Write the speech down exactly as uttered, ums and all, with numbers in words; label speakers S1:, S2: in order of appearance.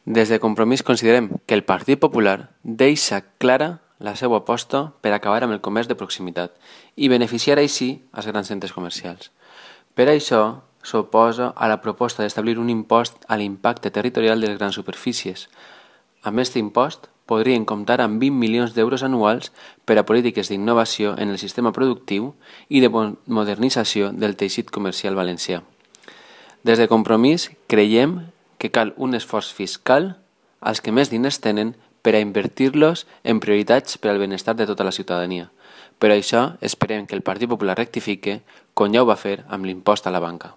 S1: Des de Compromís considerem que el Partit Popular deixa clara la seva aposta per acabar amb el comerç de proximitat i beneficiar així els grans centres comercials. Per això s'oposa a la proposta d'establir un impost a l'impacte territorial de les grans superfícies. Amb aquest impost podrien comptar amb vint milions d'euros anuals per a polítiques d'innovació en el sistema productiu i de modernització del teixit comercial valencià. Des de Compromís creiem que cal un esforç fiscal als que més diners tenen per a invertir-los en prioritats per al benestar de tota la ciutadania. Per això esperem que el Partit Popular rectifique, com ja ho va fer amb l'impost a la banca.